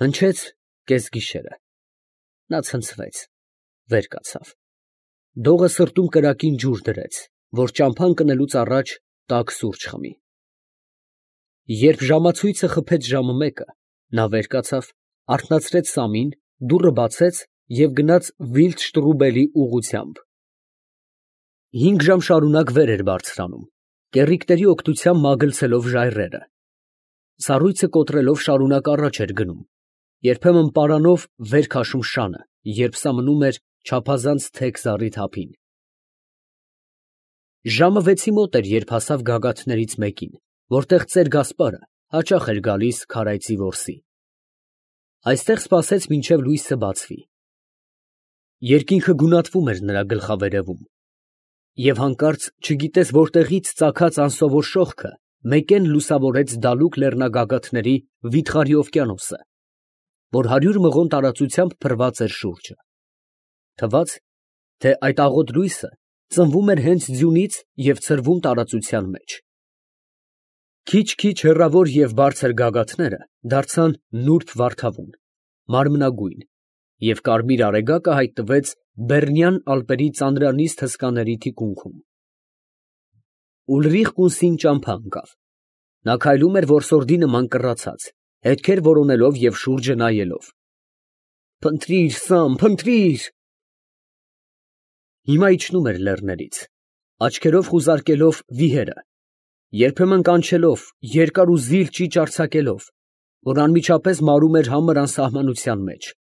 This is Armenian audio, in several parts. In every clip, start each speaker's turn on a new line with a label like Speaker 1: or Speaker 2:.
Speaker 1: Հնչեց կեսգիշերը, նա ցնցվեց, վեր կացավ, դողը սրտում կրակին ջուր դրեց, որ ճամփան կնելուց առաջ տաք սուրճ խմի։ Երբ ժամացույցը խփեց ժամը 1, նա վեր կացավ, արթնացրեց Սամին, դուռը բացեց և գնաց Վիլդշտրուբելի ուղղությամբ։ 5 ժամ շարունակ վեր էր բարձրանում, կեռիկների օգնությամբ մագլցելով ժայռերը։ Սառույցը կոտրելով շարունակ առաջ էր գնում, երբեմն պարանով վեր քաշում շանը, երբ սա մնում էր չափազանց թեք զառի թափին։ Ժամը 6-ի մոտ էր, երբ հասավ գագաթներից մեկին, որտեղ ծեր Գասպարը հաճախ էր գալիս քարայծի որսի։ Այստեղ սպասեց մինչև լույսը բացվի։ Երկինքը գունատվում էր նրա գլխավերևում, և հանկարծ չգիտես որտեղից ծագած անսովոր շողքը մեկեն լուսավորեց դալուկ լեռնագագաթների վիթխարի օվկիանոսը, որ 100 մղոն տարածությամբ փռված էր շուրջը։ Թվաց, թե այդ աղոտ լույսը ծնվում էր հենց ձյունից և ցրվում տարածության մեջ։ Քիչ-քիչ հեռավոր և բարձր գագաթները դարձան նուրբ վարդավուն, մարմնագույն, և կարմիր արեգակը հայտնվեց Բեռնյան ալպերի ծանրանիստ հսկաների թիկունքում։ Ուլրիխ կունսին ճամփա ընկավ։ Նա քայլում էր որսորդի նման կռացած, հետքեր որոնելով և շուրջը նայելով։ «Փնտրիր, Սամ, փնտրիր»։ Հիմա իջնում էր լեռներից, աչքերով խուզարկելով վիհերը, երբեմն կանչելով, երկար ու զիլ ճիչ արձակելով, որ անմիջապես մարում էր համր անսահմանության մեջ։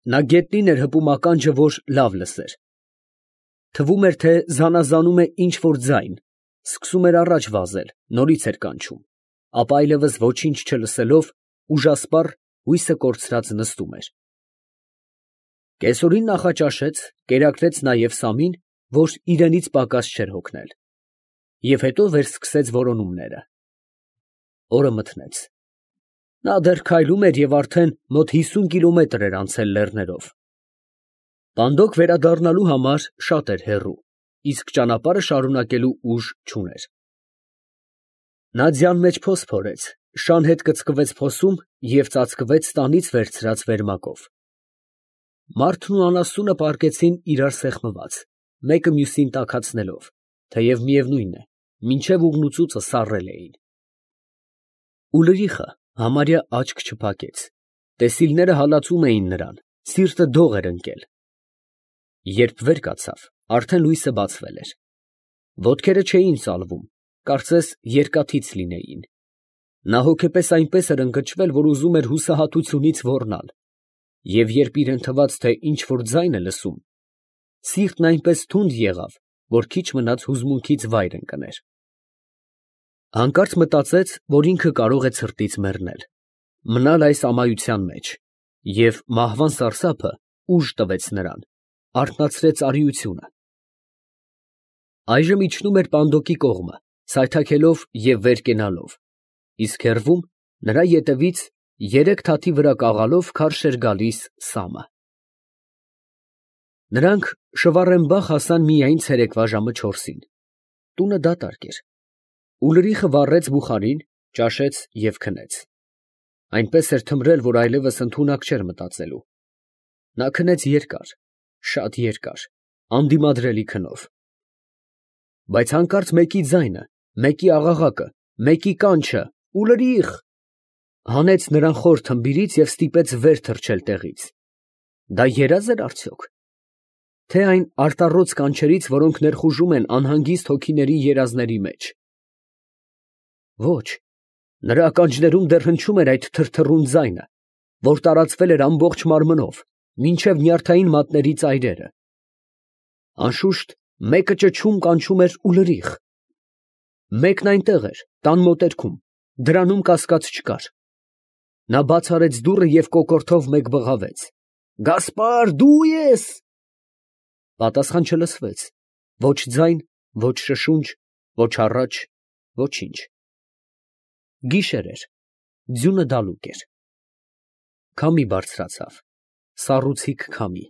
Speaker 1: Նա գետնին էր հպում ականջը, որ լավ լսեր։ Թվում էր, թե զանազանում է ինչ֊որ ձայն, սկսում էր առաջ վազել, նորից էր կանչում, ապա այլևս ոչինչ չլսելով, ուժասպառ, հույսը կորցրած նստում էր։ Կեսօրին նախաճաշեց, կերակրեց նաև Սամին, որ իրենից պակաս չէր հոգնել, և հետո վերսկսեց որոնումները։ Օրը մթնեց։ Նա դեռ քայլում էր և արդեն մոտ 50 կիլոմետր էր անցել լեռներով։ Պանդոկ վերադառնալու համար շատ էր հեռու, իսկ ճանապարհը շարունակելու ուժ չուներ։ Նա ձյան մեջ փոս փորեց, շան հետ կծկվեց փոսում և ծածկվեց տանից վերցրած վերմակով։ Մարդն ու անասունը պառկեցին իրար սեղմված, մեկը մյուսին տաքացնելով, թեև միևնույն է, մինչև ուղնուցուծը սառել էին։ Ուլրիխը համարյա աչք չփակեց, տեսիլները հալածում էին նրան, սիրտը դող էր ընկել։ Երբ վեր կացավ, արդեն լույսը բացվել էր։ Ոտքերը չէին ծալվում, կարծես երկաթից լինեին։ Նա հոգեպես այնպես էր ընկճվել, որ ուզում էր հուսահատությունից ոռնալ, և երբ իրան թվաց, թե ինչ֊որ ձայն է լսում, սիրտն այնպես թունդ եղավ, որ քիչ մնաց հուզմունքից վայր ընկներ։ Հանկարծ մտածեց, որ ինքը կարող է ցրտից մեռնել, մնալ այս ամայության մեջ, և մահվան սարսափը ուժ տվեց նրան, արթնացրեց արիությունը։ Այժմ իջնում էր պանդոկի կողմը, սայթաքելով և վեր կենալով, իսկ հեռվում, նրա ետևից, երեք թաթի վրա կաղալով քարշ էր գալիս Սամը։ Նրանք Շվառենբախ հասան միայն ցերեկվա ժամը 4-ին։ Տունը դատարկ էր։ Ուլրիխը վառեց բուխարին, ճաշեց և քնեց։ Այնպես էր թմրել, որ այլևս ընդունակ չէր մտածելու։ Նա քնեց երկար, շատ երկար, անդիմադրելի քնով։ Բայց հանկարծ մեկի ձայնը, մեկի աղաղակը, մեկի կանչը՝ «Ուլրիխ» հանեց նրան խոր թմբիրից և ստիպեց վեր թռչել տեղից։ Դա երազ էր արդյոք, թե այն արտառոց կանչերից, որոնք ներխուժում են անհանգիստ հոգիների երազների մեջ։ Ոչ, նրա ականջներում դեռ հնչում էր այդ թրթռուն ձայնը, որ տարածվել էր ամբողջ մարմնով, մինչև նյարդային մատների ծայրերը։ Անշուշտ, մեկը ճչում կանչում էր «Ուլրիխ»։ Մեկն այնտեղ էր, տան մոտերքում, դրանում կասկած չկար։ Նա բաց արեց դուռը և կոկորդով մեկ բղավեց. «Գասպար, դու ե՞ս»։ Պատասխան չլսվեց, ոչ ձայն, ոչ շշունջ, ոչ առաջ, ոչինչ։ Գիշեր էր, ձյունը դալուկ էր։ Քամի բարձրացավ, սառուցիկ քամի,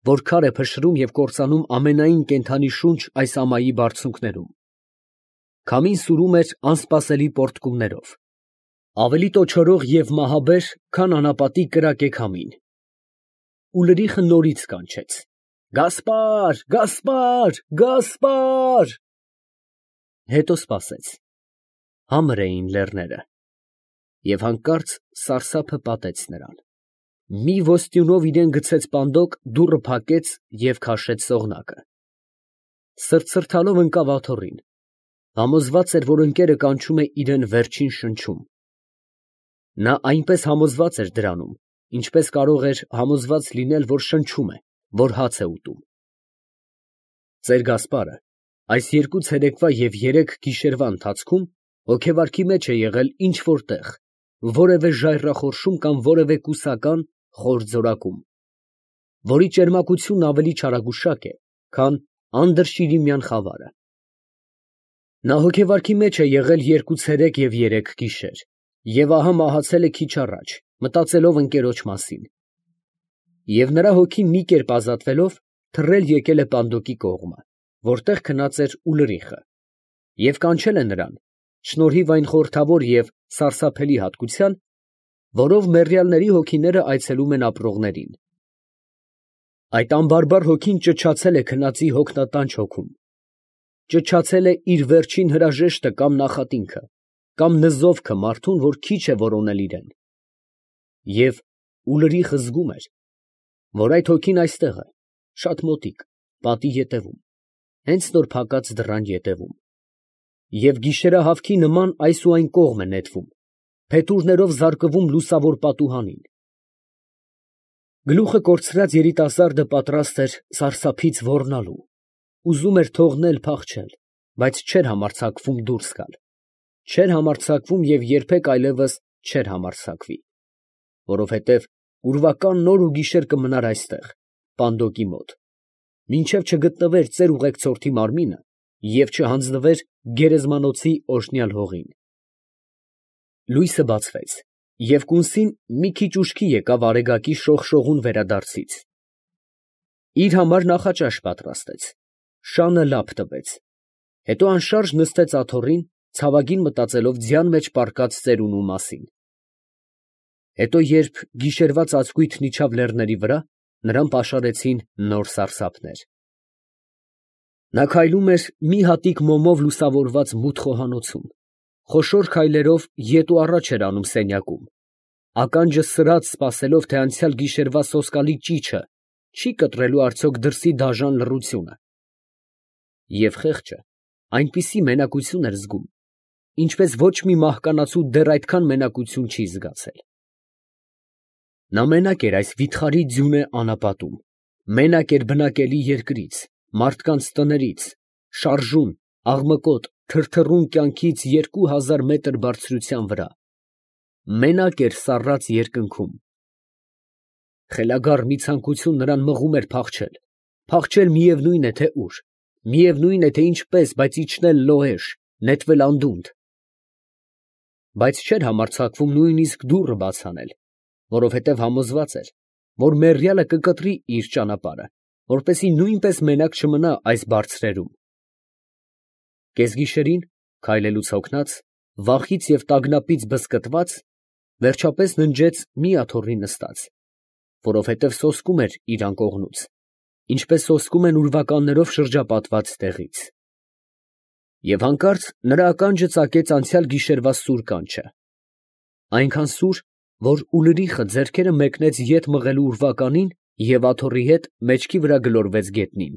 Speaker 1: որ քար է փշրում և կործանում ամենայն կենդանի շունչ այս ամայի բարձունքներում։ Քամին սուրում էր անսպասելի պոռթկումներով։ Ավելի տոչորող և մահաբեր, քան անապատի կրակե քամին։ Ուլրիխը նորից կանչեց. «Գասպար, Գասպար, Գասպար»։ Հետո սպասեց. համր էին լեռները, և հանկարծ սարսափը պատեց նրան. մի ոստյունով իրան գցեց պանդոկ, դուռը փակեց և քաշեց սողնակը։ Սրտսրտալով ընկավ աթոռին, համոզված էր, որ ընկերը կանչում է իրան վերջին շնչում։ Նա այնպես համոզված էր դրանում, ինչպես կարող էր համոզված լինել, որ շնչում է, որ հաց է ուտում։ Ծեր Գասպարը այս երկու ցերեկվա և երեք գիշերվա ընթացքում հոգեվարքի մեջ է եղել ինչ֊որ տեղ, որևէ ժայռախորշում կամ որևէ կուսական խոր ձորակում, որի ճերմակությունն ավելի չարագուշակ է, քան անդրշիրիմյան խավարը։ Նա հոգեվարքի մեջ է եղել երկու ցերեկ և երեք գիշեր, և ահա մահացել է քիչ առաջ, մտածելով ընկերոջ մասին։ Եվ նրա հոգին մի կերպ ազատվելով, թռել եկել է պանդոկի կողմը, որտեղ քնած էր Ուլրիխը, և կանչել է նրան, շնորհիվ այն խորհրդավոր և սարսափելի հատկության, որով մեռյալների հոգիները այցելում են ապրողներին։ Այդ անբարբար հոգին ճչացել է քնածի հոգնատանչ հոգում, ճչացել է իր վերջին հրաժեշտը կամ նախատինքը, կամ նզովքը մարդուն, որ քիչ է որոնել իրան։ Եվ Ուլրիխը զգում էր, որ այդ հոգին այստեղ է, շատ մոտիկ, պատի ետևում, հենց նոր փակած դռան ետևում, և գիշերահավքի նման այս ու այն կողմ է նետվում, փետուրներով զարկվում լուսավոր պատուհանին։ Գլուխը կորցրած երիտասարդը պատրաստ էր սարսափից ոռնալու, ուզում էր թողնել փախչել, բայց չէր համարձակվում դուրս գալ, չէր համարձակվում և երբեք այլևս չէր համարձակվի, որովհետև ուրվական նոր ու գիշեր կմնար այստեղ, պանդոկի մոտ, մինչև չգտնվեր ծեր ուղեկցորդի մարմինը և չհանձնվեր գերեզմանոցի օրհնյալ հողին։ Լույսը բացվեց, և կունսին մի քիչ ուշքի եկավ արեգակի շողշողուն վերադարձից։ Իր համար նախաճաշ պատրաստեց, շանը լապ տվեց, հետո անշարժ նստեց աթոռին, ցավագին մտածելով ձյան մեջ պառկած ծերունու մասին։ Հետո երբ գիշերվա ծածկույթն իջավ լեռների վրա, նրան պաշարեցին նոր սարսափներ։ Նա քայլում էր մի հատիկ մոմով լուսավորված մութ խոհանոցում, խոշոր քայլերով ետ ու առաջ էր անում սենյակում, ականջը սրած սպասելով, թե անցյալ գիշերվա սոսկալի ճիչը չի կտրելու արդյոք դրսի դաժան լռությունը։ Եվ խեղճը այնպիսի մենակություն էր զգում, ինչպես ոչ մի մահկանացու դեռ այդքան մենակություն չի զգացել։ Նա մենակ էր այս վիթխարի ձյունե անապատում, մենակ էր բնակելի երկրից, մարդկանց տներից, շարժուն, աղմկոտ, թրթռուն կյանքից 2000 մետր բարձրության վրա, մենակ էր սառած երկնքում։ Խելագար մի ցանկություն նրան մղում էր փախչել, փախչել միևնույն է թե ուր, միևնույն է թե ինչպես, բայց իջնել լոհեշ, նետվել անդունդը։ Բայց չէր համարձակվում նույնիսկ դուռը բաց անել, որովհետև համոզված էր, որ մեռյալը կկտրի իր ճանապարհը, որպեսզի նույնպես մենակ չմնա այս բարձրերում։ Կեսգիշերին, քայլելուց հոգնած, վախից և տագնապից բզկտված, վերջապես ննջեց մի աթոռի նստած, որովհետև սոսկում էր իր անկողնուց, ինչպես սոսկում են ուրվականներով շրջապատված տեղից։ Եվ հանկարծ նրա ականջը ծակեց անցյալ գիշերվա սուր կանչը, այնքան սուր, որ Ուլրիխը ձեռքերը մեկնեց ետ մղելու ուրվականին և աթոռի հետ մեջքի վրա գլորվեց գետնին։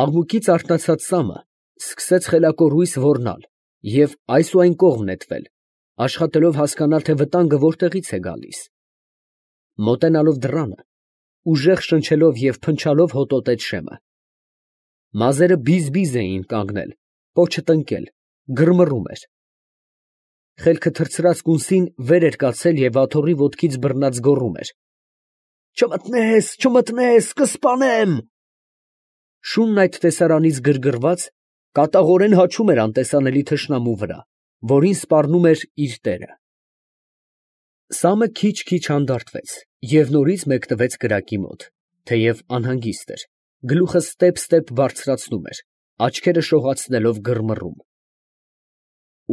Speaker 1: Աղմուկից արթնացած Սամը սկսեց խելակորույս ոռնալ և այս ու այն կողմ նետվել, աշխատելով հասկանալ, թե վտանգը որտեղից է գալիս։ Մոտենալով դռանը, ուժեղ շնչելով և փնչալով հոտոտեց Շեմը։ Մազերը բիզ֊բիզ էին կանգնել, պոչը տնկել, գրմռում էր։ Խելքը թռցրած կունսին վեր էր կացել և աթոռի ոտքից բռնած գոռում էր. «Չմտնես, չմտնես, կսպանեմ»։ Շունն այդ տեսարանից գրգռված, կատաղորեն հաչում էր անտեսանելի թշնամու վրա, որին սպառնում էր իր տերը։ Սամը քիչ֊քիչ հանդարտվեց և նորից մեկնվեց կրակի մոտ, թեև անհանգիստ էր, գլուխը ստեպ֊ստեպ բարձրացնում էր, աչքերը շողացնելով գրմռում։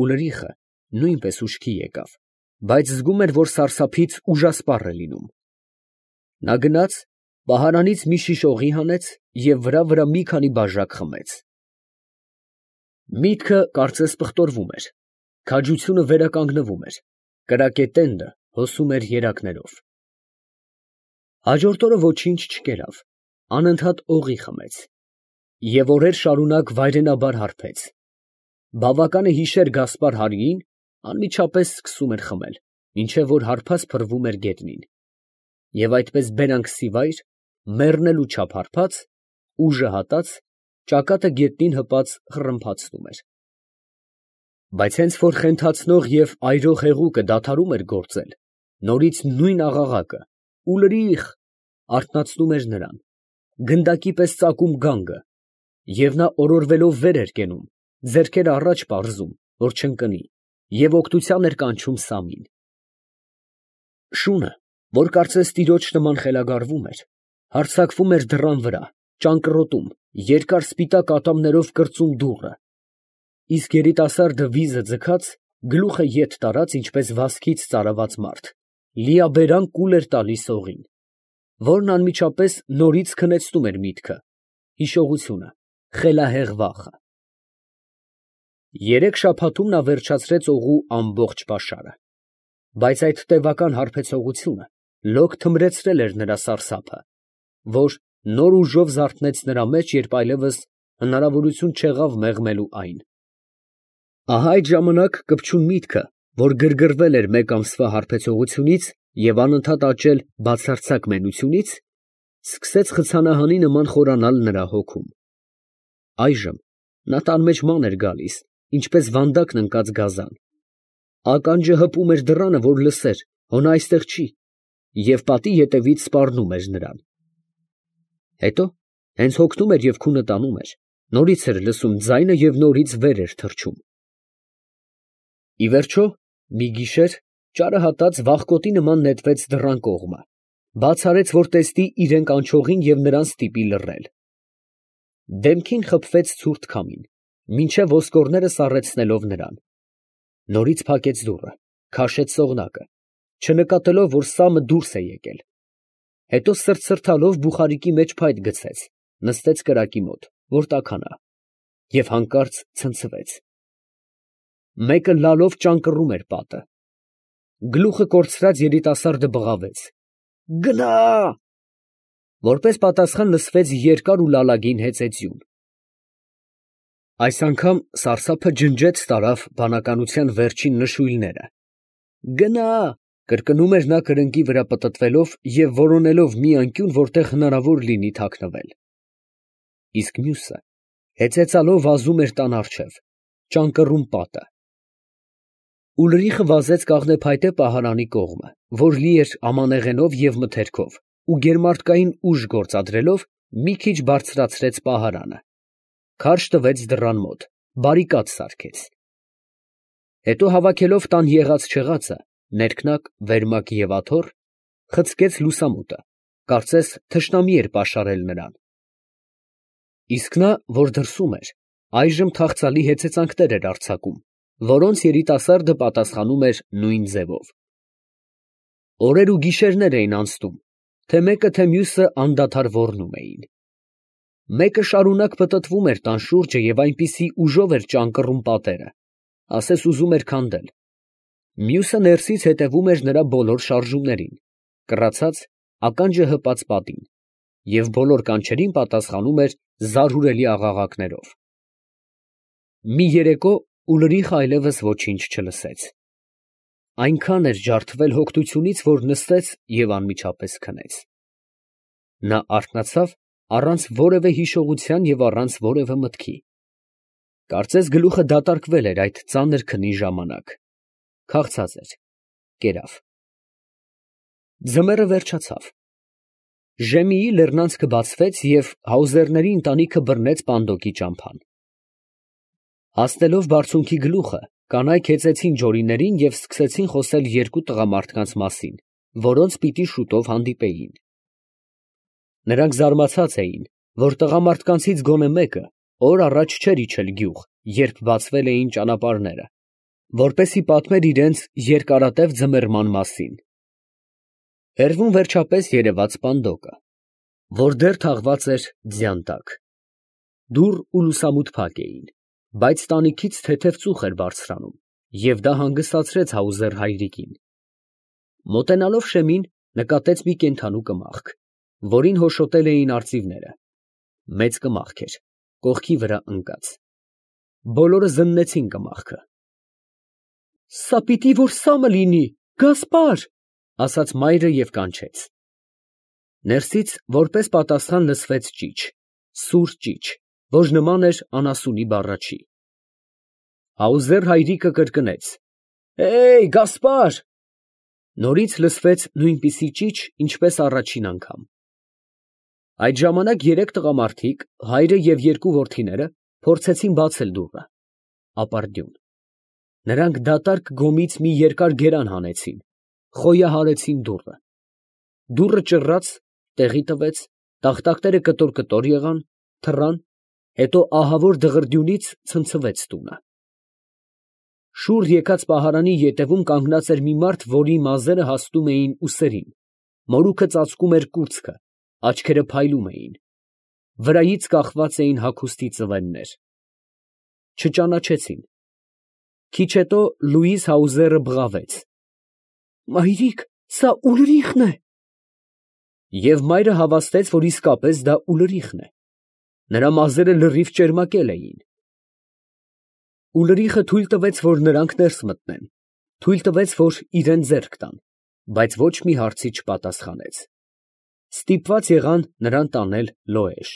Speaker 1: Ուլրիխը նույնպես ուշքի եկավ, բայց զգում էր, որ սարսափից ուժասպառ է լինում։ Նա գնաց, պահարանից մի շիշ օղի հանեց և վրա մի քանի բաժակ խմեց։ Միտքը կարծես պղտորվում էր, քաջությունը վերականգնվում էր, կրակե տենդը հոսում էր երակներով։ Հաջորդ օրը ոչինչ չկերավ, անընդհատ օղի խմեց և օրեր շարունակ վայրենաբար հարբեց։ Բավական է հիշեր Գասպար հարիին, անմիջապես սկսում էր խմել, մինչև որ հարբած փռվում էր գետնին, և այդպես բերանքսիվայր, մեռնելու չափ հարբած, ուժը հատած, ճակատը գետնին հպած խռմփացնում էր։ Բայց հենց որ խենթացնող և այրող հեղուկը դադարում էր գործել, նորից նույն աղաղակը՝ ուլրիխ, արթնացնում էր նրան, գնդակի պես ծակում գանգը, և նա օրորվելով վեր էր կենում, ձեռքերը առաջ պարզում, որ չընկնի, և օգնության էր կանչում Սամին։ Շունը, որ կարծես տիրոջ նման խելագարվում էր, հարձակվում էր դռան վրա, ճանկռոտում, երկար սպիտակ ատամներով կրծում դուռը, իսկ երիտասարդը վիզը ձգած, գլուխը ետ տարած, ինչպես վազքից ծարաված մարդ, լիաբերան կուլ էր տալիս օղին, որն անմիջապես նորից քնեցնում էր միտքը, հիշողությունը, խելահեղ վախը։ 3 շաբաթում նա վերջացրեց օղու ամբողջ պաշարը, բայց այդ տևական հարբեցողությունը լոկ թմրեցրել էր նրա սարսափը, որ նոր ուժով զարթնեց նրա մեջ, երբ այլևս հնարավորություն չեղավ մեղմելու այն։ Ահա այդ ժամանակ կպչուն միտքը, որ գրգռվել էր մեկ ամսվա հարբեցողությունից և անընդհատ աճել բացարձակ մենությունից, սկսեց խցանահանի նման խորանալ նրա հոգում։ Այժմ նա տան մեջ ման էր գալիս, ինչպես վանդակն ընկած գազան։ Ականջը հպում էր դռանը, որ լսեր, հո նա այստեղ չի, և պատի ետևից սպառնում էր նրան։ Հետո, հենց հոգնում էր և քունը տանում էր, նորից էր լսում ձայնը և նորից վեր էր թռչում։ Ի վերջո, մի գիշեր, ճարը հատած վախկոտի նման նետվեց դռան կողմը, բաց արեց, որ տեսնի իրան կանչողին և նրան ստիպի լռել։ Դեմքին խփվեց ցուրտ քամին, մինչև ոսկորները սառեցնելով նրան։ Նորից փակեց դուռը, քաշեց ծողնակը, չնկատելով, որ Սամը դուրս է եկել։ Հետո սրտսրտալով բուխարիկի մեջ փայտ գցեց, նստեց կրակի մոտ, որ տաքանա, և հանկարծ ցնցվեց։ Մեկը լալով ճանկռում էր պատը։ Գլուխը կորցրած երիտասարդը բղավեց. «Գնա!» Որպես պատասխան լսվեց երկար ու լալագին հեծեծյուն։ Այս անգամ սարսափը ջնջեց տարավ բանականության վերջին նշույլները։ «Գնա!» կրկնում էր նա կրկնակի վրա պտտվելով և որոնելով մի անկյուն, որտեղ հնարավոր լինի թաքնվել։ Իսկ մյուսը հեծեծալով վազում էր տան առջև, ճանկռում պատը։ Ուլրիխը վազեց կաղնեփայտե պահարանի կողմը, որ լի էր ամանեղենով և մթերքով, ու գերմարտկային ուժ գործադրելով, մի քիչ բարձրացրեց պահարանը, քարշ տվեց դռան մոտ, բարիկադ սարքեց։ Հետո հավաքելով տան եղած֊չեղածը, ներքնակ, վերմակ և աթոռ, խցկեց լուսամուտը, կարծես թշնամի էր պաշարել նրան։ Իսկ նա, որ դրսում էր, այժմ թախծալի հեծեծանքներ էր արձակում, որոնց երիտասարդը պատասխանում էր նույն ձևով։ Օրեր ու գիշերներ էին անցնում, թե մեկը, թե մյուսը անդադար ոռնում էին։ Մեկը շարունակ պտտվում էր տան շուրջը և այնպիսի ուժով էր ճանկռում պատերը, ասես ուզում էր քանդել։ Մյուսը ներսից հետևում էր նրա բոլոր շարժումներին, կռացած, ականջը հպած պատին, և բոլոր կանչերին պատասխանում էր զարհուրելի աղաղակներով։ Մի երեկո Ուլրիխը այլևս ոչինչ չլսեց։ Այնքան էր ջարդվել հոգնությունից, որ նստեց և անմիջապես քնեց։ Նա արթնացավ առանց որևէ հիշողության և առանց որևէ մտքի։ Կարծես գլուխը դատարկվել էր այդ ծանր քնի ժամանակ։ Քաղցած էր, կերավ։ Ձմեռը վերջացավ։ Ժեմիի լեռնանցքը բացվեց և Հաուզերների ընտանիքը բռնեց Պանդոկի ճամփան։ Հասնելով բարձունքի գլուխը, կանայք հեծեցին ջորիներին և սկսեցին խոսել երկու տղամարդկանց մասին, որոնց պիտի շուտով հանդիպեին։ Նրանք զարմացած էին, որ տղամարդկանցից գոնե մեկը օր առաջ չէր իջել գյուղ, երբ բացվել էին ճանապարհները, որպեսզի պատմեր իրենց երկարատև ձմեռման մասին։ Հեռվում վերջապես երևաց Պանդոկը, որ դեռ թաղված էր ձյան տակ։ Դուռ ու լուսամուտ փակ էին, բայց տանիքից թեթև ծուխ էր բարձրանում, և դա հանգստացրեց Հաուզեր հայրիկին։ Մոտենալով շեմին, նկատեց մի կենդանու կմախք, որին հոշոտել էին արծիվները. մեծ կմախք էր, կողքի վրա ընկած։ Բոլորը զննեցին կմախքը։ «Սա պիտի որ սամը լինի, Գասպար», ֊ ասաց մայրը և կանչեց։ Ներսից որպես պատասխան լսվեց ճիչ, սուր ճիչ, որ նման էր անասունի բառաչի։ Հաուզեր հայրիկը կրկնեց. Գասպար։ Նորից լսվեց նույնպիսի ճիչ, ինչպես առաջին անգամ։ Այդ ժամանակ երեք տղամարդիկ, հայրը և երկու որդիները, փորձեցին բացել դուռը։ Ապարդյուն։ Նրանք դատարկ գոմից մի երկար գերան հանեցին, խոյահարեցին դուռը։ Դուռը ճռռաց, տեղի տվեց, տախտակները կտոր եղան, թռան, հետո ահավոր դղրդյունից ցնցվեց տունը։ Շուռ եկած պահարանի ետևում կանգնած էր մի մարդ, որի մազերը հասնում էին ուսերին, մորուքը ծածկում էր կուրծքը, աչքերը փայլում էին, վրայից կախված էին հագուստի ծվեններ։ Չճանաչեցին։ Քիչ հետո Լուիզ Հաուզերը բղավեց. «Մայրիկ, սա Ուլրիխն է»։ Եվ մայրը հավաստեց, որ իսկապես դա Ուլրիխն է. նրա մազերը լրիվ ճերմակել էին։ Ուլրիխը թույլ տվեց, որ նրանք ներս մտնեն, թույլ տվեց, որ իրան ձեռք տան, բայց ոչ մի հարցի չպատասխանեց։ Ստիպված եղան նրան տանել Լոեժ։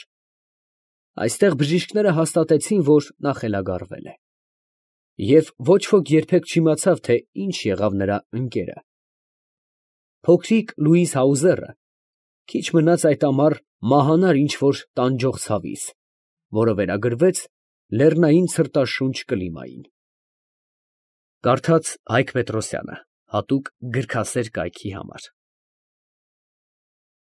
Speaker 1: Այստեղ բժիշկները հաստատեցին, որ նա խելագարվել է։ Եվ ոչ ոք երբեք չիմացավ, թե ինչ եղավ նրա ընկերը։ Փոքրիկ Լուիզ Հաուզերը քիչ մնաց այդ ամառ մահանար ինչ֊որ տանջող ցավից, որը վերագրվեց լեռնային ցրտաշունչ կլիմային։ Կարդաց Հայկ Պետրոսյանը հատուկ գրքասեր կայքի համար։